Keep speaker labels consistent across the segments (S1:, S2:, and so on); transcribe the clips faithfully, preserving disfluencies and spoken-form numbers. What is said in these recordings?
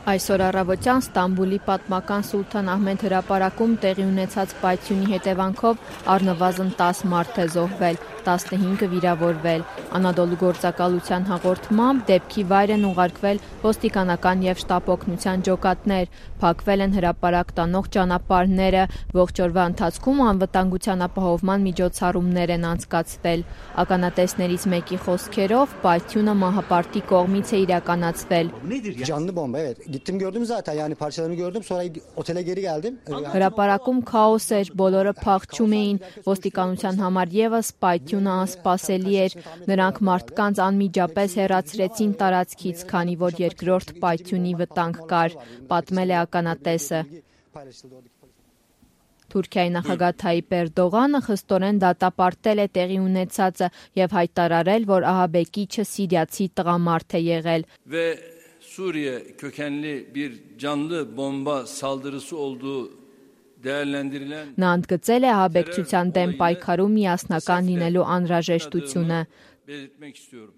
S1: Այսօր առավոտյան Ստամբուլի պատմական Սուլթան Ահմեդ հրապարակում տեղի ունեցած պայթյունի հետևանքով առնվազն տասը մարդ է զոհվել, տասնհինգը վիրավորվել։ Անադոլու գործակալության հաղորդմամբ դեպքի վայր են ուղարկվել ոստիկանական և շտապ օգնության ջոկատներ, փակվել են հրապարակ տանող ճանապարհները, ողջ օրվա ընթացքում անվտանգության ապահովման միջոցառումներ են անցկացվել։ Ականատեսներից մեկի խոսքերով պայթյունը մահապարտի կողմից է իրականացվել։
S2: Canlı bomba, evet. Gittim gördüm zaten, yani parçalarını gördüm, sonra otele geri geldim.
S1: Հրապարակում քաոս էր, բոլորը փախչում էին, ոստիկանության համար ևս պայթյունը անսպասելի էր, նրանք մարդկանց անմիջապես հեռացրեցին տարածքից, քանի որ երկրորդ պայթյունի վտանգ կար, պատմել է ականատեսը։ Թուրքիայի նախագահ Թայիպ Էրդողանը խստորեն դատապարտել է տեղի ունեցածը և հայտարարել, որ ահաբեկիչը սիրիացի տղամարդ է եղել։
S3: Ve Suriye kökenli bir canlı bomba saldırısı olduğu değerlendirilen
S1: Նա ընդգծել է ահաբեկչության դեմ պայքարում միասնական լինելու անհրաժեշտությունը։
S3: belirtmek istiyorum.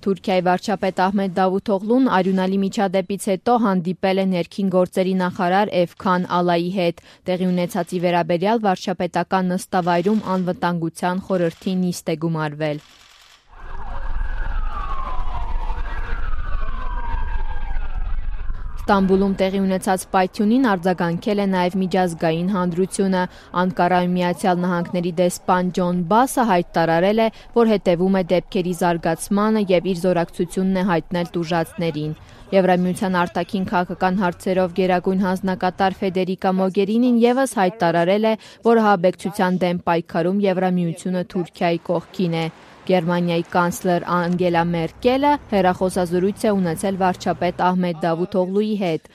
S1: Թուրքիայի վարչապետ Ահմեդ Դավութօղլուն արյունալի միջադեպից հետո հանդիպել է ներքին գործերի նախարար Էվքան Ալայի հետ։ Տեղի ունեցածի վերաբերյալ վարչապետական նստավայրում անվտանգության խորհրդի նիստ է գումարվել։ Ստամբուլում տեղի ունեցած պայթյունին արձագանքել է նաև միջազգային հանրությունը։ Անկարայում Միացյալ Նահանգների դեսպան Ջոն Բասը հայտարարել է, որ հետևում է դեպքերի զարգացմանը և իր զորակցությունն է հայտնել տուժածներին։ Եվրամիության արտաքին քաղաքական հարցերով գերագույն հանձնակատար Ֆեդերիկա Մոգերինին ևս հայտարարել է, որ ահաբեկչության դեմ պայքարում Եվրամիությունը Թուրքիայի կողքին է։ Գերմանիայի կանցլեր Անգելա Մերկելը հեռախոսազրույց է ունեցել վարչապետ Ահմեդ Դավութօղլուի հետ։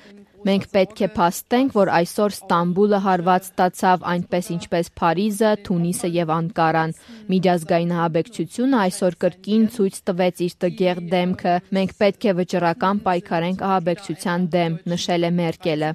S1: Մենք պետք է փաստենք, որ այսօր Ստամբուլը հարված ստացավ, այնպես ինչպես Փարիզը, Թունիսը և Անկարան։ Միջազգային ահաբեկչությունը այսօր կրկին ցույց տվեց իր տգեղ դեմքը։ Մենք պետք է վճռական պայքարենք ահաբեկչության դեմ, նշել է Մերկելը։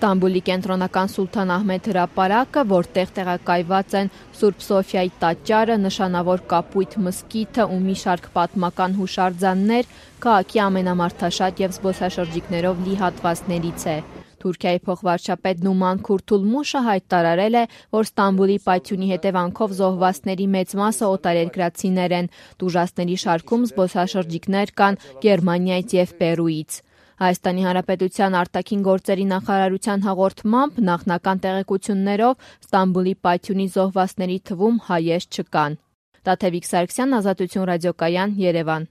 S1: Ստամբուլի կենտրոնական Սուլթան Ահմեդ հրապարակը, որտեղ տեղակայված են Սուրբ Սոֆիայի տաճարը, նշանավոր Կապույտ մզկիթը ու մի շարք պատմական հուշարձաններ, քաղաքի ամենամարդաշատ և զբոսաշրջիկներով լի հատվածներից է։ Թուրքիայի փոխվարչապետ Նուման Քուրթուլմուշը հայտարարել է, որ Ստամբուլի պայթյունի հետևանքով զոհվածների մեծ մասը օտարերկրացիներ են, տուժածների շարքում զբոսաշրջիկներ կան Գերմանիայից և Պերուից։ Հայաստանի Հանրապետության արտաքին գործերի նախարարության հաղորդմամբ նախնական տեղեկություններով Ստամբուլի պայթյունի զոհվածների թվում հայեր չկան։ Տաթևիկ Սարգսյան, Ազատություն ռադիոկայան, Երևան։